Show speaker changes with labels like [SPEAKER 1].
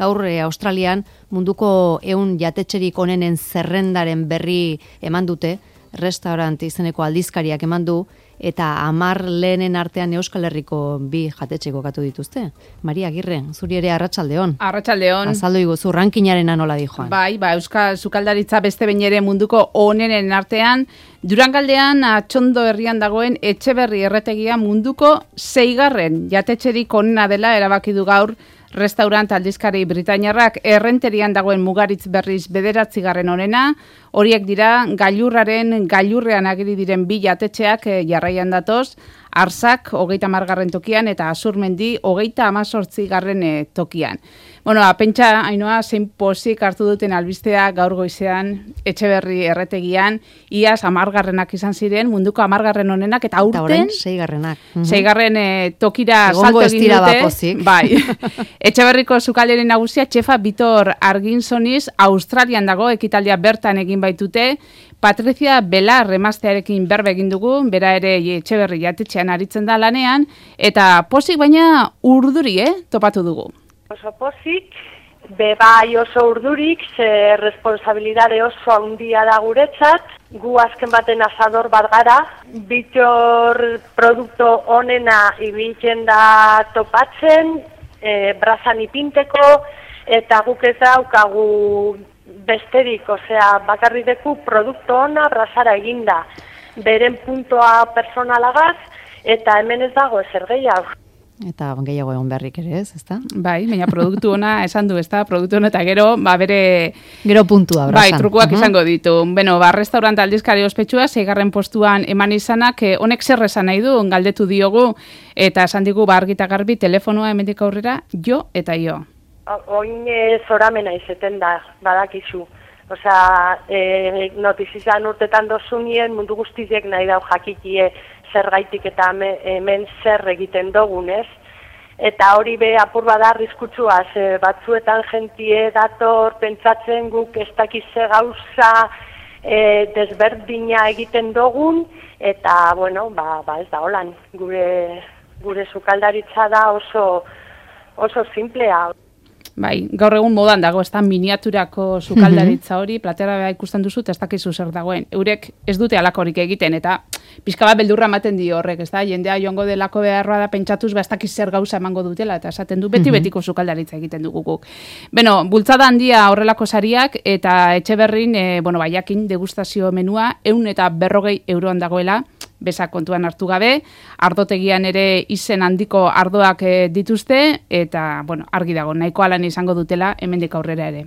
[SPEAKER 1] gaur Australian munduko 100 jatetxerik onenen zerrendaren berri eman dute, restaurant izeneko aldizkariak eman du, eta 10 lehenen artean Euskal Herriko 2 jatetxe kokatu dituzte. Maria Agirre, zuri ere arratsaldeon.
[SPEAKER 2] Arratsaldeon.
[SPEAKER 1] Azaldu iguzu, rankinarena nola dijoan.
[SPEAKER 2] Bai, Euskal Sukaldaritza beste behin ere munduko onenen artean, Durangaldean Atxondo herrian dagoen Etxeberri erretegia munduko 6. jatetxerik onena dela erabaki du gaur restaurant aldizkari britainiarrak. Errenterian dagoen Mugaritz berriz 9. onena, horiek dira gailurrean agiri diren 2 jatetxeak jarraian datoz, Arsak 30. tokian eta Azurmendi 38. tokian. Bueno, pentsa, Ainoa, zein pozik hartu duten albistea gaur goizean Etxeberri erretegian, iaz 10. izan ziren, munduko 10. onenak, eta aurten
[SPEAKER 1] 6.
[SPEAKER 2] 6. Tokira salto egin dute. Bai. Etxeberriko sukaldari nagusia txefa Bitor Arginsoniz Australian dago, ekitaldia bertan egin baitute. Patricia Belar emaztearekin berbe egin dugu, bera ere Etxeberri jatetxean aritzen da lanean, eta pozik baina urduri, topatu dugu.
[SPEAKER 3] Oso pozik, bai oso urdurik, ze responsabilidade oso handia da guretzat, gu azken baten asador bat gara, Bitor produkto onena ibiltzen da topatzen, brazan ipinteko, eta guk ez daukagu besterik, osea, bakarri deku produkto ona brazara eginda, beren puntoa personalagaz, eta hemen ez dago ezer gehiago.
[SPEAKER 1] Eta gehiago egon beharrik ere ezta?
[SPEAKER 2] Bai, baina produktu ona esan du, ezta? Produktu ona eta gero, bere...
[SPEAKER 1] Gero puntua, brazan.
[SPEAKER 2] Bai, trukuak izango ditu. Beno, restaurant aldizkari ospetsua, 6. postuan eman izanak, honek zer esan nahi du, galdetu diogu, eta esan digu, argi eta garbi, telefonoa hemendik aurrera, jo eta jo.
[SPEAKER 3] Oin zoramena izeten da, badakizu. Osea, notizizan urtetan dozunien mundu guztiek nahi dau jakikie zergaitik eta hemen zer egiten dugun, ez? Eta hori be apur bada arriskutsua, batzuetan jentie dator pentsatzen guk ez dakize gauza desberdina egiten dugun, eta, bueno, ez da holan. Gure sukaldaritza da oso simplea.
[SPEAKER 2] Bai, gaur egun modan dago, ez da miniaturako sukaldaritza hori, platera ikusten duzu, ez dakizu zer dagoen. Eurek ez dute alakorik egiten, eta pixka bat beldurra ematen dio horrek, ez da, jendea joango delako beharroa da pentsatuz, ez dakiz zer gauza emango dutela, eta esaten du beti-betiko sukaldaritza egiten dugu guk. Beno, bultzada handia horrelako sariak, eta Etxeberrin, jakin degustazio menua, 140 euroan dagoela, bezak kontuan hartu gabe, ardotegian ere izen handiko ardoak dituzte, eta, argi dago, nahikoa lan izango dutela hemendik aurrera ere.